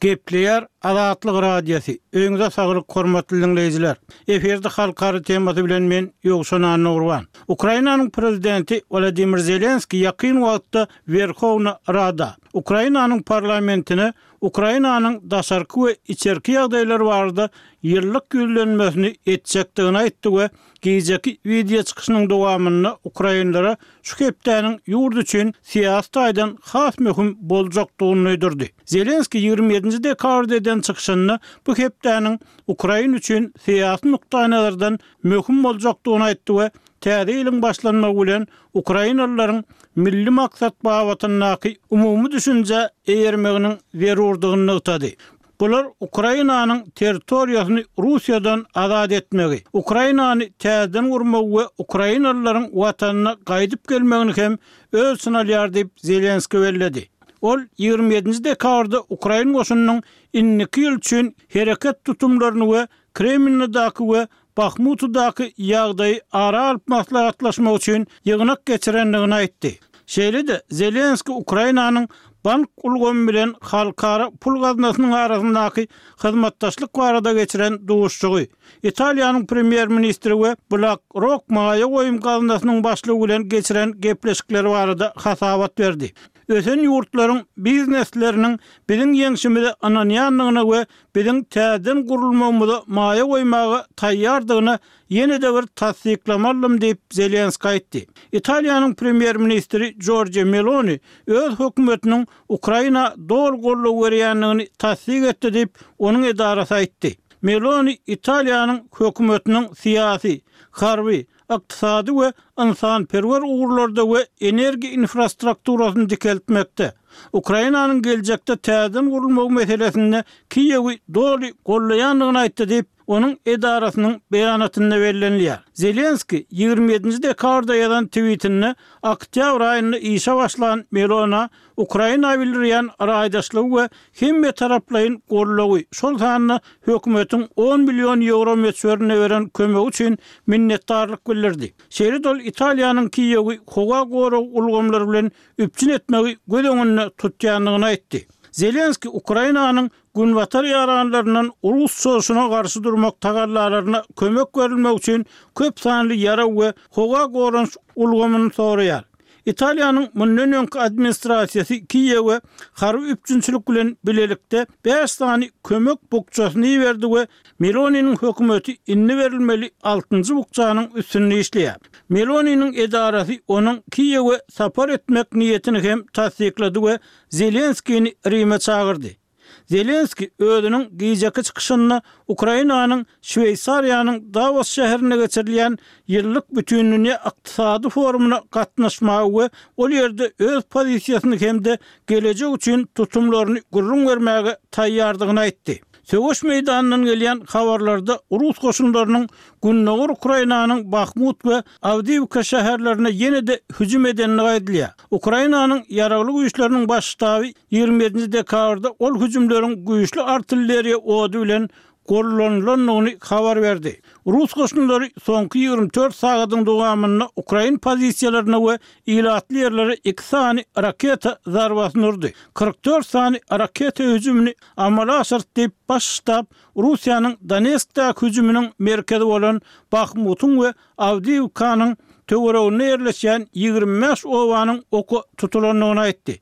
Gepleýär Azatlyk Radiosy, Öýüňize saglyk hormatly diňleýjiler! Efirde Halkara temasy bilen men Ýowşan Annagurban. Ukrainanyň prezidenti Wladimir Zelenskiý ýakyn wagtda Werhowna Rada, Ukrainanyň parlamentine Ukrainanyň daşarky we içerki ýagdaýlar barada ýyllyk ýüzlenmesini etjekdigini aýtdy we gijeki wideo çykyşynyň dowamynda ukrainlere şu hepdäniň ýurt üçin syýasy taýdan has möhüm boljakdygyny duýdurdy. Zelenskiý 27-nji dekabrda eden çykyşynda bu hepdäniň Ukraina üçin syýasy nukdaýnazardan möhüm boljakdygyny aýtdy we täze ýylyň başlanmagy bilen ukrainalylaryň milli maksat babatyndaky umumy düşünjä eýermeginiň zerurdygyny nygtady. Bular Ukrainanyň territoriýasyny Russiýadan azat etmegi, Ukrainany täzeden gurmagy we ukrainalylaryň watanyna gaýdyp gelmegini hem öz içine alýar diýip, Zelenskiý belledi. Ol 27-nji dekabrda ukrain goşunynyň indiki ýyl üçin hereket tutumlaryny we Kremlinadaky we Bahmutydaky ýagdaýy ara alyp maslahatlaşmak üçin ýygnak geçirendigini aýtdy. Şeýle-de, Zelenskiý Ukrainanyň bank ulgamy bilen Halkara pul gaznasynyň arasyndaky hyzmatdaşlyk barada geçiren duşuşygy, Italiýanyň premýer-ministri we BlackRock maýa goýum gaznasynyň başlygy bilen geçiren gepleşikleri barada hasabat berdi. Ösen ýurtlaryň biznesleriniň biziň ýeňşimize ynanýandygyna we biziň täzeden gurulmagymyza maýa goýmaga taýýardygyna ýene-de bir tassyklama aldym diýip, Zelenskiý aýtdy. Italiýanyň premýer-ministri Jorja Meloni öz hökümetiniň Ukraina doly goldaw berýändigini tassyk etdi diýip, onuň edarasy aýtdy. Meloni Italiýanyň hökümetiniň syýasy, harby, ykdysady we ynsanperwer ugurlarda we energiýa infrastrukturasyny dikeltmekde, Ukrainanyň geljekde täzeden gurulmagy meselesinde Kiýewi doly goldaýandygyny aýtdy diýip, onuň edarasynyň beýanatynda bellenilýär. Zelenskiý 27-nji dekabrda ýazan twitinde oktýabr aýynda işe başlan Melona Ukraina bildirýän raýdaşlygy we hemmetaraplaýyn goldawy, şol sanda hökümetiň on million ýewro möçberinde beren kömegi üçin minnetdarlyk bildirdi. Şeýle-de ol Italiýanyň Kiýewi howa gorag ulgamlary bilen üpjün etmegi göz öňünde tutýandygyny aýtdy. Zelenskiý Ukrainanyň Günbatar ýaranlaryndan rus çozuşyna garşy durmak tagallalaryna kömek berilmegi üçin köp sanly ýarag we howa goranyş ulgamyny soraýar. Italiýanyň mundan öňki administrasiýasy Kiýewe harby üpjünçilik bilen bilelikde bäş sany kömek bukjasyny iberdi we Meloniniň hökümeti indi berilmeli altynjy bukjanyň üstünde işleýär. Meloniniň edarasy onuň Kiýewe sapar etmek niýetini hem tassyklady we Zelenskini Rime çagyrdy. Zelenskiý özüniň gijeki çykyşynda Ukrainanyň Şweýsariýanyň Dawos şäherinde geçirilýän ýyllyk Bütindünýä ykdysady forumyna gatnaşmaga we ol ýerde öz pozisiýasyny hem-de gelejek üçin tutumlaryny gürrüň bermäge taýýardygyny aýtdy. Söweş meýdanyndan gelýän habarlarda rus goşunlarynyň gündogar Ukrainanyň Bahmut we Awdiýiwka şäherlerine ýene-de hüjüm edendigi aýdylýar. Ukrainanyň Ýaragly Güýçleriniň Baş ştaby 27-nji dekabrda ol hüjümleriň güýçli artilleriýa ody bilen gollanylandygyny habar berdi. Rus goşunlary soňky 24 sagadyň dowamynda ukrain pozisiýalaryna we ilatly ýerlere iki sany raketa zarbasyny urdy, 44 sany raketa hüjümini amala aşyrdy diýip, Baş ştab Russiýanyň Donetskdäki hüjüminiň merkezi bolan Bahmutyň we Awdiýiwkanyň töwereginde ýerleşýän 25 obanyň oka tutulandygyny aýtdy.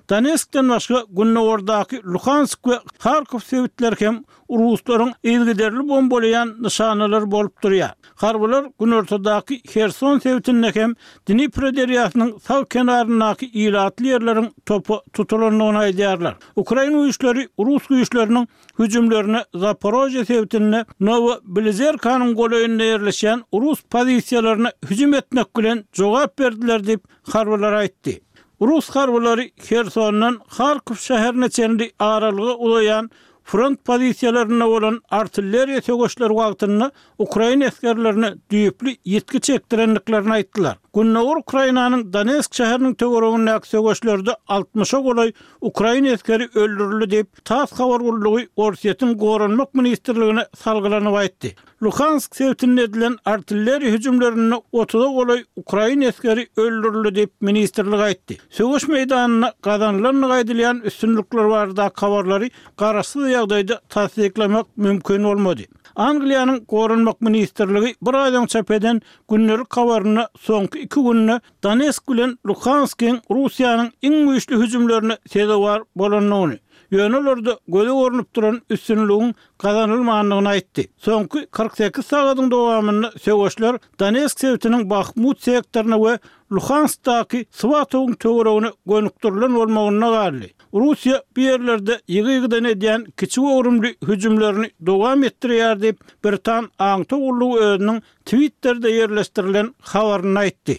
Donetskden başga gündogardaky Luhansk we Harkow sebitleri hem ruslaryň yzygiderli bombalaýan nyşanalary bolup durýar. Harbylar günortadaky Herson sebitinde hem Dnipro derýasynyň sag kenaryndaky ilatly ýerleriň topa tutulandygyny aýdýarlar. Ukrain güýçleri rus güýçleriniň hüjümlerine Zaporožýe sebitinde Nowobilizerkanyň golaýynda ýerleşýän rus pozisiýalaryna hüjüm etmek bilen jogap berdiler diýip, harbylar aýtdy. Rus harbylary Hersondan Harkow şäherine çenli aralyga uzaýan front pozisiýalarynda bolan artilleriýa söweşleri wagtynda ukrain esgerlerine düýpli ýitgi çekdirendiklerini aýtdylar. Gündogar Ukrainanyň Donetsk şäheriniň töweregindäki söweşlerde altmyşa golaý ukrain esgeri öldürildi diýip, tass habar gullugy Orsýetiň Goranmak ministrligine salgylanyp aýtdy. Luhansk sebitinde edilen artilleriýa hüjümlerinde otuza golaý ukrain esgeri öldürildi diýip, ministrlik aýtdy. Söweş meýdanynda gazanylandygy aýdylýan üstünlikler baradaky habarlary garaşsyz ýagdaýda tassyklamak mümkin bolmady. Angliýanyň Goranmak ministrligi bir aý öň çap eden gündelik habarynda soňky iki günde Donetsk bilen Luhanskyň Russiýanyň iň güýçli hüjümlerine sezewar bolandygyny, ýöne olarda göze görnüp duran üstünligiň gazanylmandygyny aýtdy. Soňky 48 sagadyň dowamynda söweşler Donetsk sebitiniň Bahmut sektoryna we Luhanskdaky Swatowyň töweregine gönükdirilen bolmagynda galdy. Russiýa bu ýerlerde ýygy-ýygydan edýän kiçi göwrümli hüjümlerini dowam etdirýär diýip, britan aňtaw gullugy özüniň Twitterde ýerleşdirilen habarynda aýtdy.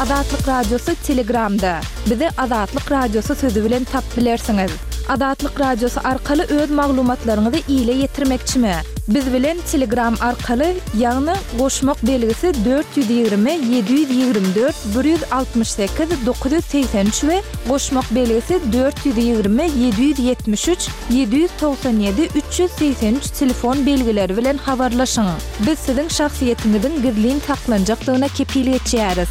Azatlyk Radiosy Telegramda. Bizi Azatlyk Radiosy sözi bilen tap bilersiňiz. Azatlyk Radiosy arkaly öz maglumatlaryňyzy ile ýetirmekçimi? Biz bilen Telegram arkaly, ýagny goşmak belgisi 420 724 168 983 we goşmak belgisi 420 773 797 383 telefon belgileri bilen habarlaşyň. Biz siziň şahsyýetiňiziň gizlin saklanjakdygyna kepil geçýäris.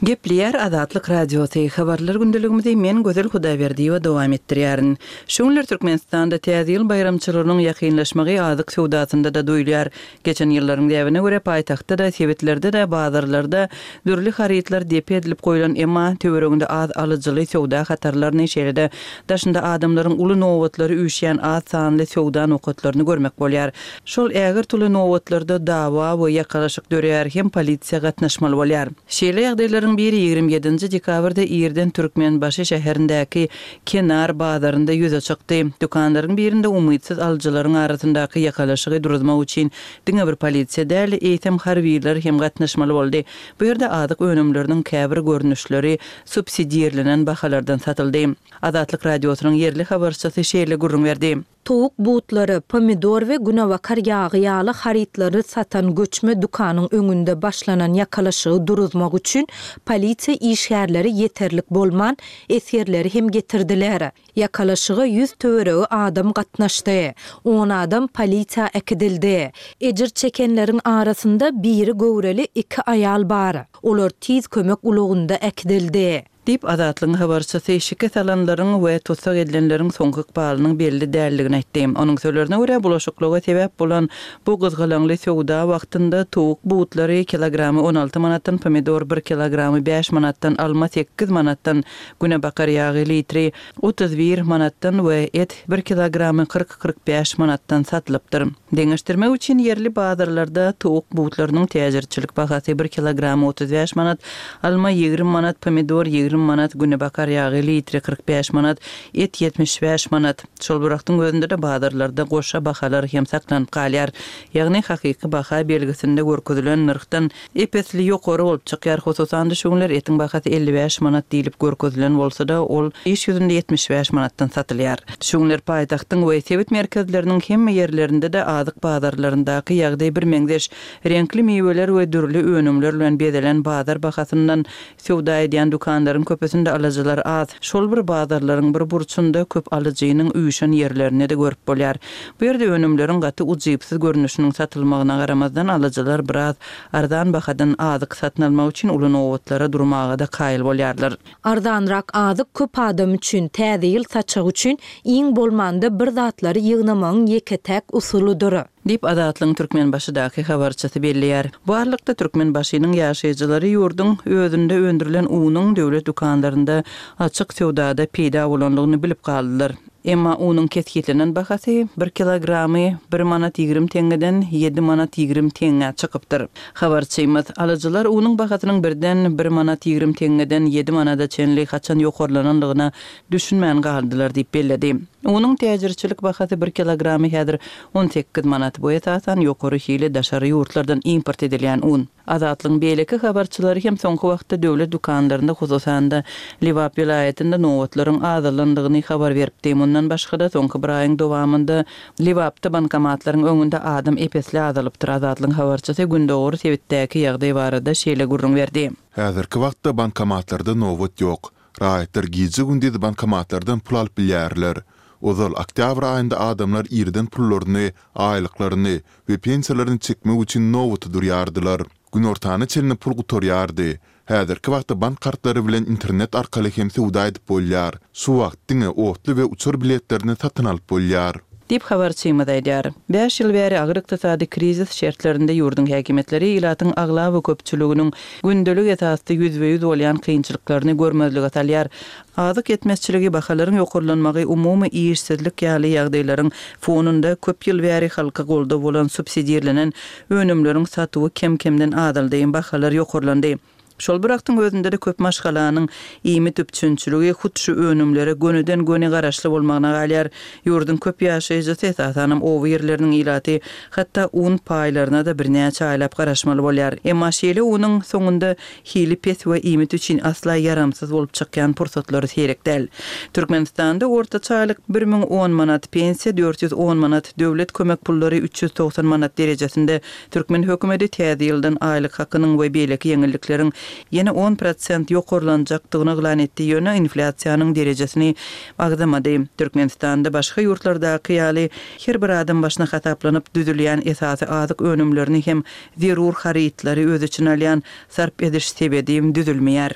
Gepleýär Azatlyk Radiosy, Habarlar gündeligimizi men Gözel Hudaýberdiýewa dowam etdirýärin. Şu günler Türkmenistanda Täze ýyl baýramçylygynyň ýakynlaşmagy azyk söwdasynda-da duýulýar. Geçen ýyllaryň däbine görä, paýtagtda-da, sebitlerde-de, bazarlarda dürli harytlar depe edilip goýlan, emma töwereginde az alyjyly söwda hatarlaryny, şeýle-de daşynda adamlaryň uly nobatlary üýşýän az sanly söwda nokatlaryny görmek bolýar. Şol ägirt uly nobatlarda dawa we ýakalaşyk döreýär hem polisiýa gatnaşmaly bolýar. Şeýle ýagdaýlaryň biri 27 nji dekabrda irden Türkmenbaşy şäherindäki Kenar bazarynda ýüze çykdy. Dükanlaryň birinde umytsyz alyjylaryň arasyndaky ýakalaşygy duruzmak üçin diňe bir polisiýa däl, eýsem harbylar hem gatnaşmaly boldy. Bu ýerde azyk önümleriniň käbir görnüşleri subsidirlenen bahalardan satyldy. Azatlyk Radiosynyň ýerli habarçysy şeýle gürrüň berdi. Towuk butlary, pomidor we günebakar ýagy ýaly harytlary satan göçme dükanyň öňünde başlanan ýakalaşygy duruzmak üçin polisiýa işgärleri ýeterlik bolman, esgerleri hem getirdiler. Ýakalaşyga ýüz töweregi adam gatnaşdy. On adam polisiýa äkidildi. Ejir çekenleriň arasynda biri göwreli iki aýal bar. Olar tiz kömek ulagynda äkidildi. Diýip, Azatlygyň habarçysy şikes alanlaryň we tussag edilenleriň soňky ykbalynyň belli däldigini aýtdy. Onuň sözlerine görä, bulaşyklyga sebäp bolan bu gyzgalaňly söwda wagtynda towuk butlary kilogramy 16 manatdan, pomidor bir kilogramy bäş manatdan, alma sekiz manatdan, günebakar ýagy litri 31 manatdan we et bir kilogramy 40-45 manatdan satylypdyr. Deňeşdirmek üçin, ýerli bazarlarda towuk butlarynyň täjirçilik bahasy bir kilogramy 35 manat, alma 20 manat, pomidor 20 manat, günebakar ýagy litri 45 manat, et 75 manat. Şol bir wagtyň özünde-de bazarlarda goşa bahalar hem saklanyp galýar. Ýagny hakyky baha belgisinde görkezilen nyrhdan Ep-esli ýokary bolup çykýar. Hususan-da, şu günler etiň bahasy 55 manat diýlip görkezilen bolsa-da, ol iş ýüzünde 75 manatdan satylýar. Şu günler paýtagtyň we sebit merkezleriniň hemme ýerlerinde-de azyk bazarlaryndaky ýagdaý birmeňzeş. Reňkli miweler we dürli önümler bilen bezelen bazar bahasyndan Söwda edýän dükanlaryň köpüsinde alyjylar az. Şol bir bazarlaryň bir burçunda köp alyjynyň üýşen ýerlerini-de görüp bolýar. Bu ýerde önümleriň gaty ujypsyz görnüşiniň satylmagyna garamazdan, alyjylar biraz arzan bahadan azyk satyn almak üçin uly nobatlara durmaga-da kaýyl bolýarlar. Arzanrak azyk köp adam üçin, Täze ýyl saçagy üçin iň bolmanda bir zatlary ýygnamagyň ýeke-täk usulydyr. Diýip, Azatlygyň Türkmenbaşydaky habarçysy belleýär. Bu aralykda, Türkmenbaşynyň ýaşaýjylary ýurduň özünde öndürilen unuň döwlet dükanlarynda açyk söwdada peýda bolandygyny bilip galdylar. Emma unuň kesgitlenen bahasy bir kilogramy bir manat 20 teňňeden ýedi manat 20 teňňä çykypdyr. Habarçymyz, alyjylar unuň bahasynyň birden bir manat 20 teňňeden ýedi manada çenli haçan ýokarlanandygyna düşünmän galdylar diýip belledi. Unuň täjirçilik bahasy bir kilogramy häzir 18 manat. Bu esasan ýokary hili daşary ýurtlardan import edilýän un. Azatlygyň beýleki habarçylary hem soňky wagtda döwlet dükanlarynda, hususan-da, Lebap welaýatynda nobatlaryň azalandygyny habar beripdi. Mundan. Mundan başga-da, soňky bir aýyň dowamynda Lebapda bankomatlaryň öňünde adam ep-esli azalypdyr. Azatlygyň habarçysy gündogar sebitdäki ýagdaý barada şeýle gürrüň berdi. Häzirki wagtda bankomatlarda nobat ýok. Raýatlar gije-gündiz bankomatlardan pul alyp bilýärler. Ozal oktýabr aýynda adamlar irden pullaryny, aýlyklaryny we pensiýalaryny çekmek üçin nobata durýardylar. Günortana çenli pul gutarýardy. Häzirki wagtda bank kartlary bilen internet arkaly hem söwda edip bolýar. Şu wagt diňe otly we uçar biletlerini satyn alyp bolýar. Diýip, habarçymyz aýdýar. Bäş ýyl bäri agyr ykdysady krizis şertlerinde ýurduň häkimiýetleri ilatyň aglaba köpçüliginiň gündelik esasda ýüzbe-ýüz bolýan kynçylyklaryny görmezlige salýar. Azyk ýetmezçiligi, bahalaryň ýokarlanmagy, umumy işsizlik ýaly ýagdaýlaryň fonunda köp ýyl bäri halka goldaw bolan subsidirlenen önümleriň satuwy kem-kemden azaldy, bahalar ýokarlandy. Şol bir wagtyň özünde-de köp maşgalanyň iýmit üpjünçiligi hut şu önümlere gönüden-göni garaşly bolmagyna galýar. Ýurduň köp ýaşaýjysy, esasanam oba ýerleriniň ilaty, hatda un paýlaryna-da birnäçe aýlap garaşmaly bolýar. Emma şeýle unuň soňunda hili pes we iýmit üçin asla ýaramsyz bolup çykýan pursatlary seýrek däl. Türkmenistanda ortaça aýlyk 1010 manat, pensiýa 410 manat, döwlet kömek pullary 390 manat derejesinde. Türkmen hökümeti täze ýyldan aýlyk hakynyň we beýleki ýeňillikleriň ýene on prosent ýokarlanjakdygyny yglan etdi, ýöne inflýasiýanyň derejesini agzamady. Türkmenistanda başga ýurtlardaky ýaly her bir adam başyna hasaplanyp düzülýän esasy azyk önümlerini hem zerur harytlary öz içine alýan sarp ediş sebedi düzülmeýär.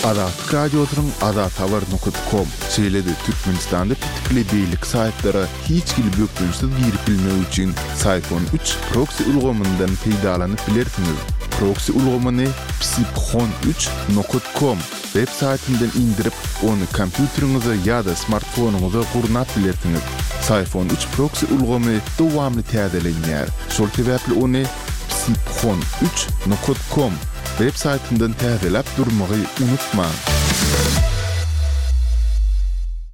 Azatlyk Radiosynyň Azathabar nokat kom, şeýle-de Türkmenistanda petikli beýleki saýtlara hiç hili bökdençsiz girip bilmek üçin Syphon üç proksi ulgamyndan peýdalanyp bilersiňiz. Proksi ulgamyny psiphon üç nokat kom web saýtyndan indirip, ony kompýuteriňize ýa-da smartfonyňyza gurnap bilersiňiz. Syphon üç proksi ulgamy dowamly täzelenýär, şol sebäpli ony psiphon üç nokat kom web saýtyndan täzeläp durmagy unutmaň.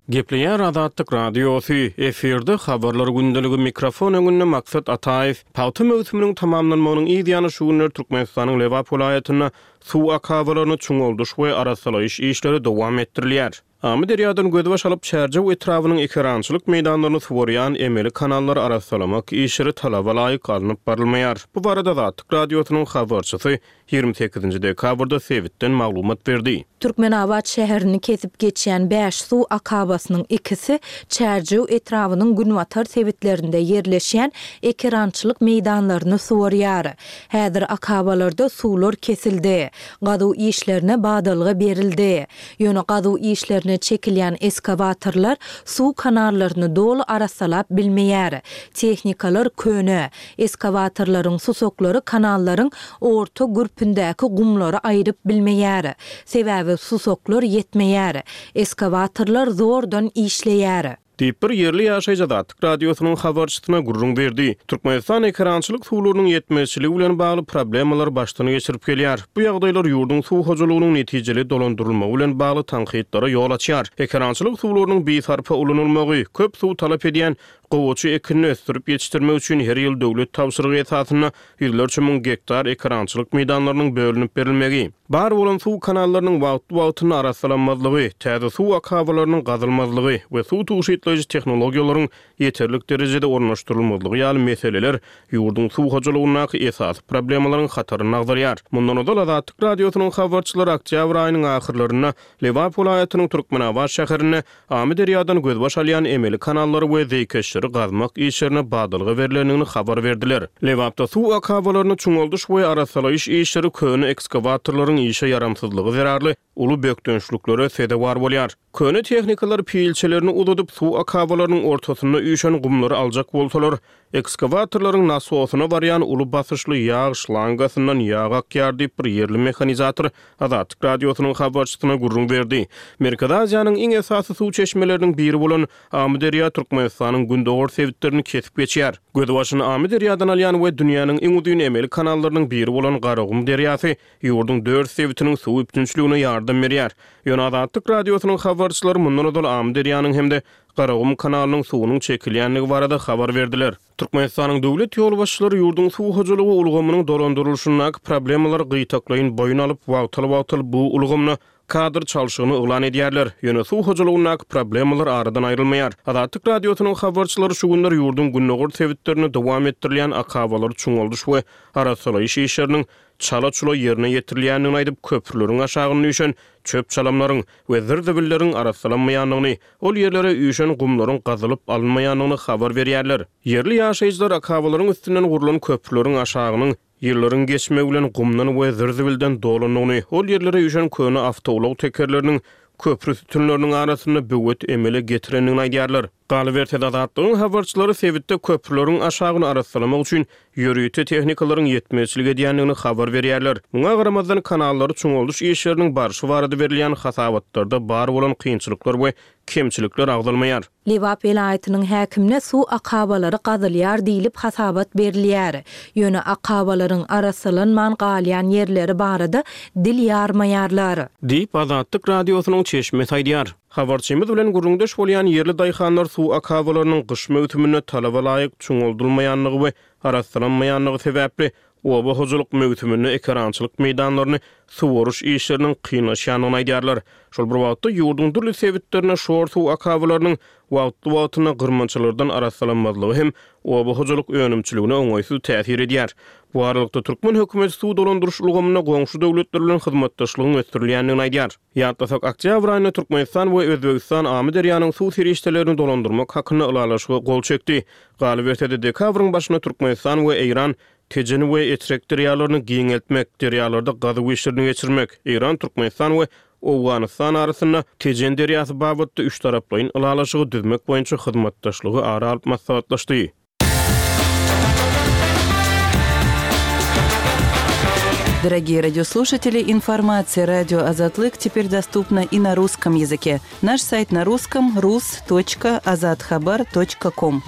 Gepleýär Azatlyk Radiosy, efirde Habarlar gündeligi, mikrofon öňünde Maksat Ataýew. Pagta möwsüminiň tamamlanmagynyň yz ýany şu günler Türkmenistanyň Lebap welaýatynda Suw akabalaryny çuňaldyş we arassalaýyş işleri dowam etdirilýär. Amyderýadan gözbaş alyp, Çärjew etrabynyň ekerançylyk meýdanlaryny suwarýan emeli kanallary arassalamak işleri talaba laýyk alnyp barylmaýar. Bu barada Azatlyk Radiosynyň habarçysy 28 dekabrda sebitden maglumat berdi. Türkmenabat şäherini kesip geçýän bäş suw akabasynyň ikisi Çärjew etrabynyň günbatar sebitlerinde ýerleşýän ekerançylyk meýdanlaryny suwarýar. Häzir akabalarda suwlar kesildi. Gazuw işlerine badalga berildi. Ýöne gazuw işlerine çekilýän eskawatorlar suw kanallaryny doly arassalap bilmeýär. Tehnikalar köne. Eskawatorlaryň susaklary kanallaryň orta gürpündäki gumlary aýryp bilmeýär. Sebäbi susaklar ýetmeýär. Eskawatorlar zordan işleýär. Diýip, bir ýerli ýaşaýjy Azatlyk Radiosynyň habarçysyna gürrüň berdi. Türkmenistan ekerançylyk suwlarynyň ýetmezçiligi bilen bagly problemalary başdan geçirip gelýär. Bu ýagdaýlar ýurduň suw hojalygynyň netijeli dolandyrylmagy bilen bagly tankytlara ýol açýar. Ekerançylyk suwlarynyň bisarpa ulanylmagy, köp suw talap edýän gowaça ekinini ösdürip ýetişdirmek üçin her ýyl döwlet tabşyrygy esasynda ýüzlerçe müň gektar ekerançylyk meýdanlarynyň bölünip berilmegi, bar bolan suw kanallarynyň wagtly-wagtynda arassalanmazlygy, täze suw akabalarynyň gazylmazlygy we suw tygşytlaýjy tehnologiýalaryň ýeterlik derejede ornaşdyrylmazlygy ýaly meseleler ýurduň suw hojalygyndaky esasy problemalaryň hatarynda agzalýar. Mundan ozal Azatlyk Radiosynyň habarçylary oktýabr aýynyň ahyrlarynda Lebap welaýatynyň Türkmenabat şäherinde Amyderýadan gözbaş alýan emeli kanallary we zeýkeşleri gazmak işlerine badalga berlendigini habar berdiler. Lebapda suw akabalaryny çuňaldyş we arassalaýyş işleri köne ekskawatorlaryň işe ýaramsyzlygy zerarly uly bökdençliklere sezewar bolýar. Köne tehnikalar pilçelerini uzadyp, suw akabalarynyň ortasynda üýşen gumlary aljak bolsalar, Ekskawatorlaryň nasosyna barýan uly basyşly ýag şlangasyndan ýag akýar diýip, bir ýerli mehanizator Azatlyk Radiosynyň habarçysyna gürrüň berdi. Merkezi Aziýanyň iň esasy suw çeşmeleriniň biri bolan Amyderýa Türkmenistanyň gündogar sebitlerini kesip geçýär. Gözbaşyny Amyderýadan alýan we dünýäniň iň uzyn emeli kanallarynyň biri bolan Garagum derýasy ýurduň dört sebitiniň suw üpjünçiligine ýardam berýär. Ýöne Azatlyk Radiosynyň habarçylary mundan ozal Amyderýanyň hem-de. Garagum kanalynyň suwunyň çekilýändigi barada habar berdiler. Türkmenistanyň döwlet ýolbaşçylary ýurduň suw hojalygy ulgamynyň dolandyrylyşyndaky problemalary gytaklaýyn boýun alyp, wagtal-wagtal bu ulgamda kadr çalşygyny yglan edýärler. Ýöne suw hojalygyndaky problemalar aradan aýrylmaýar. Azatlyk Radiosynyň habarçylary şu günler ýurduň gündogar sebitlerinde dowam etdirilýän akabalary çuňaldyş we arassalaýyş işleriniň çala-çula ýerine ýetirilýändigini aýdyp, köprüleriň aşagyna üýşen çöp-çalamlaryň we zir-zibilleriň arassalanmaýandygyny, ol ýerlere üýşen gumlaryň gazylyp alynmaýandygyny habar berýärler. Ýerli ýaşaýjylar akabalaryň üstünden gurlan köprüleriň aşagynyň ýyllaryň geçmegi bilen gumdan we zir-zibilden dolandygyny, ol ýerlere üýşen köne awtoulag tekerleriniň köpri sütünleriniň arasynda böwet emele getirendigini aýdýarlar. Galyberse-de, Azatlygyň habarçylary sebitde köprüleriň aşagyny arassalamak üçin ýörite tehnikalaryň ýetmezçilik edýändigini habar berýärler. Muňa garamazdan, kanallary çuňaldyş işleriniň barşy barada berilýän hasabatlarda bar bolan kynçylyklar we kemçilikler agzalmaýar. Lebap welaýatynyň häkimine suw akabalary gazylýar diýlip hasabat berilýär. Ýöne akabalaryň arassalanman galýan ýerleri barada dil ýarmaýarlar. Diýip, Azatlyk Radiosynyň çeşmesi aýdýar. Habarçymyz bilen gürrüňdeş bolýan ýerli daýhanlar suw akabalarynyň gyş möwsüminde talaba laýyk çuňaldylmaýandygy we arassalanmaýandygy sebäpli, oba hojalyk möwsüminde ekerançylyk meýdanlaryny suwaryş işleriniň kynlaşýandygyny aýdýarlar. Şol bir wagtda, ýurduň dürli sebitlerinde şor suw akabalarynyň wagtly-wagtynda gyrmançalardan arassalanmazlygy hem oba hojalyk önümçiligine oňaýsyz täsir edýär. Bu aralykda, türkmen hökümeti suw dolandyryş ulgamynda goňşy döwletler bilen hyzmatdaşlygyň ösdürilýändigini aýdýar. Ýatlasak, oktýabr aýynda Türkmenistan we Özbegistan Amyderýanyň suw serişdelerini dolandyrmak hakynda ylalaşyga gol çekdi. Galyberse-de, dekabryň başynda Türkmenistan we Eýran Tejen we Etrek derýalaryny giňeltmek, derýalarda gazuw işlerini geçirmek, Eýran, Türkmenistan we Owganystan arasynda Tejen derýasy babatda üçtaraplaýyn ylalaşygy düzmek boýunça hyzmatdaşlygy ara alyp maslahatlaşdy. Дорогие радиослушатели, информация радио Азатлык теперь доступна и на русском языке. Наш сайт на русском rus.azathabar.com.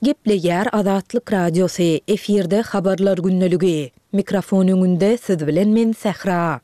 Gepleýär Azatlyk Radiosy, efirde Habarlar gündeligi. Mikrofon öňünde siz bilen men Sähra.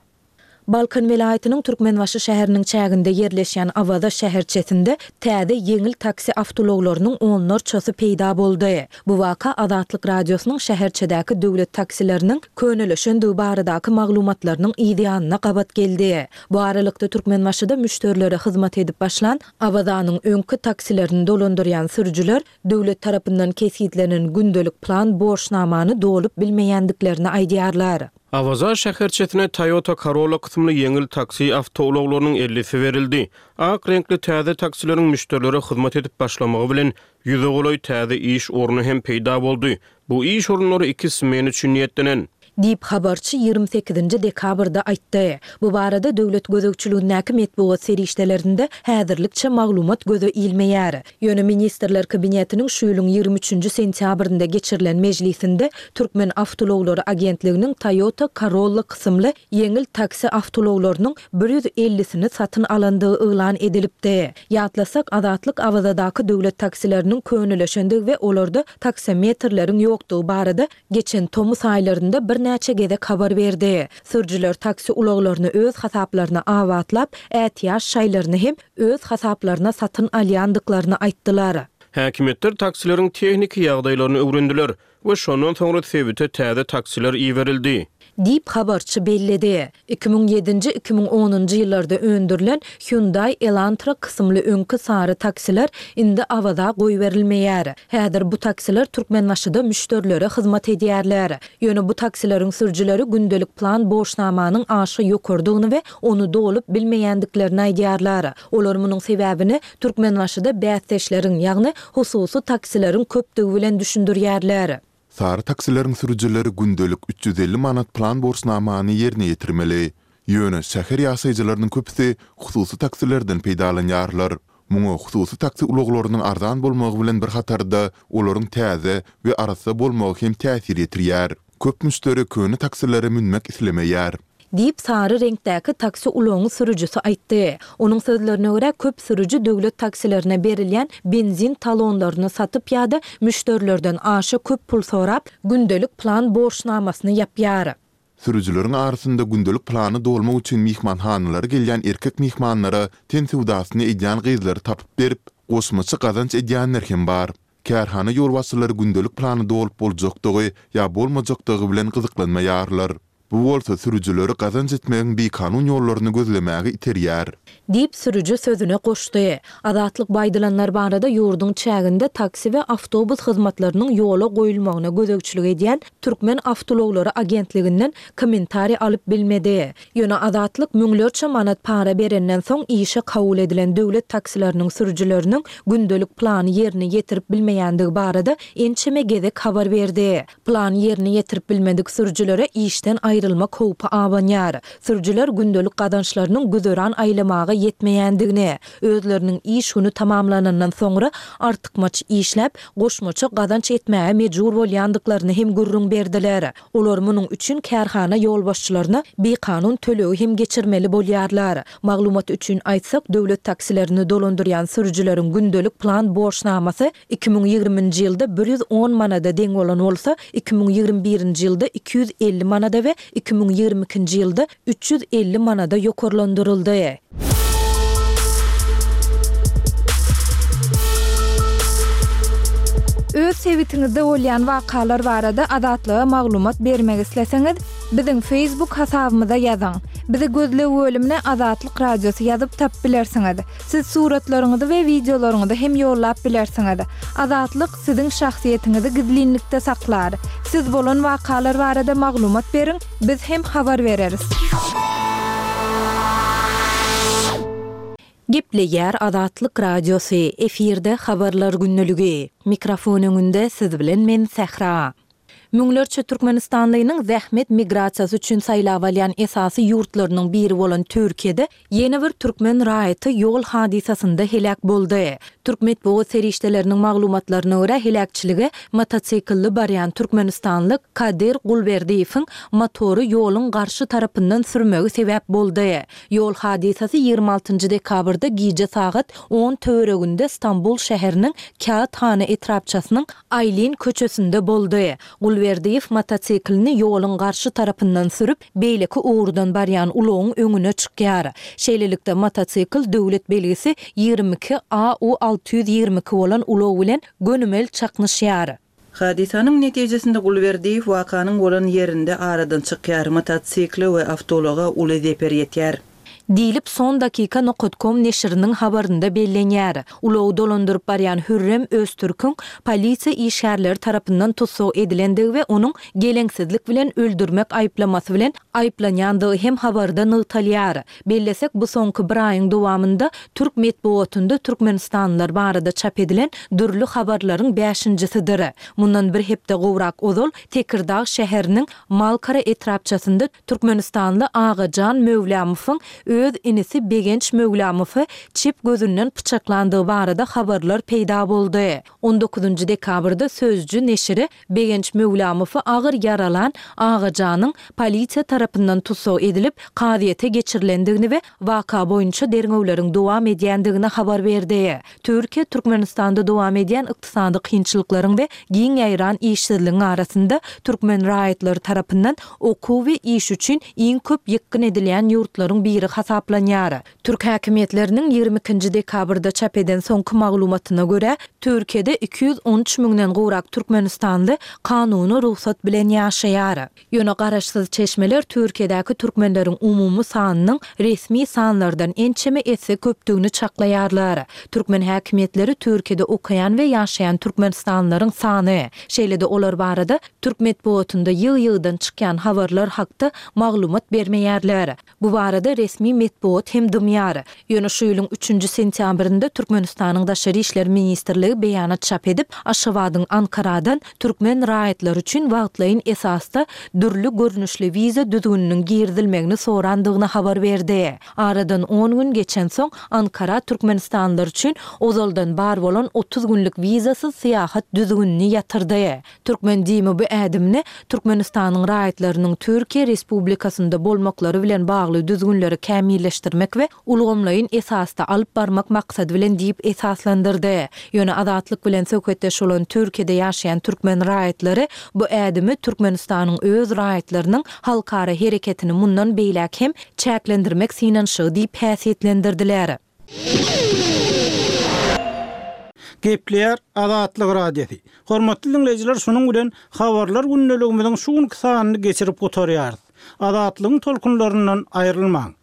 Balkan welaýatynyň Türkmenbaşy şäheriniň çäginde ýerleşýän Awaza şäherçesinde täze ýeňil taksi awtoulaglarynyň onlarçasy peýda boldy. Bu waka Azatlyk Radiosynyň şäherçedäki döwlet taksileriniň könelişendigi baradaky maglumatlarynyň yzýanyna gabat geldi. Bu aralykda, Türkmenbaşyda müşderilere hyzmat edip başlan Awazanyň öňki taksilerini dolandyrýan sürüjiler döwlet tarapyndan kesgitlenen gündelik plan borçnamany dolup bilmeýändiklerini aýdýarlar. Awaza şäherçesine Toyota Corolla kysymly ýeňil taksi awtoulaglarynyň ellisi berildi. Ak reňkli täze taksileriň müşderilere hyzmat edip başlamagy bilen, ýüze golaý täze iş orny hem peýda boldy. Bu iş orunlary iki smena üçin niýetlenen. Diýip, habarçy 28-nji dekabrda aýtdy. Bu barada döwlet gözegçiligindäki metbugat serişdelerinde häzirlikçe maglumat göze ilmeýär. Ýöne Ministrler Kabinetiniň şu ýylyň 23-nji sentýabrynda geçirilen mejlisinde Türkmen awtoulaglary agentliginiň Toyota Corolla kysymly ýeňil taksi awtoulaglarynyň bir ýüz ellisini satyn alandygy yglan edilipdi. Ýatlasak, Azatlyk Awazadaky döwlet taksileriniň könelişendigi we olarda taksometrleriň ýokdugy barada geçen tomus aýlarynda birnäçe gezek habar berdi. Sürüjiler taksi ulaglaryny öz hasaplaryna abatlap, ätiýaç şaýlaryny hem öz hasaplaryna satyn alýandyklaryny aýtdylar. Häkimiýetler taksileriň tehniki ýagdaýlaryny öwrendiler we şondan soňra sebite täze taksiler iberildi. Diýip, habarçy belledi. 2007-nji, 2010-njy ýyllarda öndürilen Hyundai Elantra kysymly öňki sary taksiler indi Awaza goýberilmeýär. Häzir bu taksiler Türkmenbaşyda müşderilere hyzmat edýärler. Ýöne bu taksileriň sürüjileri gündelik plan borçnamanyň aşa ýokarydygyny we ony dolup bilmeýändiklerini aýdýarlar. Olar munuň sebäbini Türkmenbaşyda bäsdeşleriň, ýagny hususy taksileriň köpdügi bilen düşündirýärler. Sary taksileriň sürüjileri gündelik 350 manat plan borçnamany ýerine ýetirmeli. Ýöne şäher ýaşaýjylarynyň köpüsi hususy taksilerden peýdalanýarlar. Muňa hususy taksi ulaglarynyň arzan bolmagy bilen bir hatarda, olaryň täze we arassa bolmagy hem täsir ýetirýär. Köp müşderi köne taksilere münmek islemeýär. Diýip, sary reňkdäki taksi ulagyň sürüjisi aýtdy. Onuň sözlerine görä, köp sürüji döwlet taksilerine berilýän benzin talonlaryny satyp ýa-da müşderilerden aşa köp pul sorap, gündelik plan borçnamasyny ýapýar. Sürüjileriň arasynda gündelik plany dolmak üçin myhmanhanalara gelýän erkek myhmanlara ten söwdasyny edýän gyzlary tapyp berip, goşmaça gazanç edýänler hem bar. Kärhana ýolbaşçylary gündelik plany dolup boljakdygy ýa bolmajakdygy bilen gyzyklanmaýarlar. Bu bolsa sürüjileri gazanç etmegiň bikanun ýollaryny gözlemäge iterýär. Diýip, sürüji sözüne goşdy. Azatlyk bu aýdylanlar barada ýurduň çäginde taksi we awtobus hyzmatlarynyň ýola goýulmagyna gözegçilik edýän Türkmen awtoulaglary agentliginden kommentariý alyp bilmedi. Ýöne Azatlyk müňlerçe manat para berenden soň işe kabul edilen döwlet taksileriniň sürüjileriniň gündelik plany ýerine ýetirip bilmeýändigi barada ençeme gezek habar berdi. Plany ýerine ýetirip bilmedik sürüjilere işden aýrylmak howpy abanýar. Sürüjiler gündelik gazançlarynyň güzeran aýlamaga ýetmeýändigini, özleriniň iş güni tamamlanandan soňra artykmaç işläp, goşmaça gazanç etmäge mejbur bolýandyklaryny hem gürrüň berdiler. Olar munuň üçin kärhana ýolbaşçylaryna bikanun tölegi hem geçirmeli bolýarlar. Maglumat üçin aýtsak, döwlet taksilerini dolandyrýan sürüjileriň gündelik plan borçnamasy 2020-nji ýylda 110 manada deň bolan bolsa, 2021-nji ýylda 250 manada we 2022-nji ýylda 350 manada ýokarlandyryldy. Öz sebitiňizde bolýan wakalar barada Azatlyga maglumat bermek isleseňiz, biziň Facebook hasabymyza ýazyň. Bizi gözleg bölümine Azatlyk Radiosy ýazyp tapyp bilersiňiz. Siz suratlaryňyzy we wideolaryňyzy hem ýollap bilersiňiz. Azatlyk siziň şahsyýetiňizi gizlinlikde saklar. Siz bolan wakalar barada maglumat beriň, biz hem habar bereris. Gepleýär Azatlyk Radiosy, efirde Habarlar gündeligi. Mikrofon öňünde siz bilen men Sähra. Müňlerçe türkmenistanlynyň zähmet migrasiýasy üçin saýlap alýan esasy ýurtlarynyň biri bolan Türkiýede ýene bir türkmen raýaty ýol hadysasynda heläk boldy. Türk metbugat serişdeleriniň maglumatlaryna görä, heläkçilige motosiklli barýan türkmenistanly Kadyr Gulberdiýewiň motory ýoluň garşy tarapyndan sürmegi sebäp boldy. Ýol hadysasy 26 dekabrda gije sagat on töwereginde Stambul şäheriniň Kâğıthane etrapçasynyň Aýlin köçesinde boldy. Gulberdiýew motosiklini ýoluň garşy tarapyndan sürüp, beýleki ugurdan barýan ulagyň öňüne çykýar. Şeýlelikde, motosikl döwlet belgisi 22 AU 622 bolan ulag bilen gönümel çaknyşýar. Hadysanyň netijesinde Gulberdiýew wakanyň bolan ýerinde aradan çykýar, motosikle we awtoulaga uly zeper ýetýär. Diýlip, Son dakika nokat kom neşiriniň habarynda bellenýär. Ulagy dolandyryp barýan Hürrem Öztürküň polisiýa işgärleri tarapyndan tussag edilendigi we onuň geleňsizlik bilen öldürmek aýyplamasy bilen aýyplanýandygy hem habarda nygtalýar. Bellesek, bu soňky bir aýyň dowamynda türk metbugatynda türkmenistanlylar barada çap edilen dürli habarlaryň bäşinjisidir. Mundan bir hepde gowrak ozal Tekirdag şäheriniň Malkara etrapçasynda Türkmenistanly Agajan Möwlamowyň öz inisi Begenç Möwlamowy çep gözünden pyçaklandygy barada habarlar peýda boldy. On dokuzynjy dekabrda Sözcü neşiri Begenç Möwlamowy agyr ýaralan Agajanyň polisiýa tarapyndan tussag edilip, kazyýete geçirilendigini we waka boýunça derňewleriň dowam edýändigini habar berdi. Türkiýe Türkmenistanda dowam edýän ykdysady kynçylyklaryň we giň ýaýran işsizligiň arasynda türkmen raýatlary tarapyndan okuw we iş üçin iň köp ýykgyn edilýän ýurtlaryň biri hasaplanýar. Türk häkimiýetleriniň 22 nji dekabrda çap eden soňky maglumatyna görä, Türkiýede 213 müňden gowrak türkmenistanly kanuny rugsat bilen ýaşaýar. Ýöne garaşsyz çeşmeler Türkiýedäki türkmenleriň umumy sanynyň resmi sanlardan ençeme esse köpdügini çaklaýarlar. Türkmen häkimiýetleri Türkiýede okaýan we ýaşaýan türkmenistanlylaryň sany, şeýle-de olar barada türk metbugatynda ýygy-ýygydan çykýan habarlar hakda maglumat bermeýärler. Bu barada resmi metbugat hem dymýar. Ýöne şu ýylyň üçünji sentýabrynda Türkmenistanyň Daşary işler ministrligi beýanat çap edip, Aşgabadyň Ankaradan türkmen raýatlary üçin wagtlaýyn esasda dürli görnüşli wiza düzgüniniň girizilmegini sorandygyny habar berdi. Aradan on gün geçensoň, Ankara türkmenistanlylar üçin ozaldan bar bolan 30 günlük wizasyz syýahat düzgünini ýatyrdy. Türkmen DIM-i bu ädimini Türkmenistanyň raýatlarynyň Türkiýe Respublikasynda bolmaklary bilen bagly düzgünleri. kämilleşdirmek we ulgamlaýyn esasda alyp barmak maksady bilen diýip esaslandyrdy. Ýöne Azatlyk bilen söhbetdeş bolan Türkiýede ýaşaýan türkmen raýatlary bu ädimi Türkmenistanyň öz raýatlarynyň halkara hereketini mundan beýläk hem çäklendirmek synanyşygy diýip häsiýetlendirdiler. Gepleýär Azatlyk Radiosy. Hormatly diňleýjiler şunuň bilen Habarlar gündeligimiziň şu günki sanyny geçirip gutarýarys. Azatlygyň tolkunlaryndan aýrylmaň!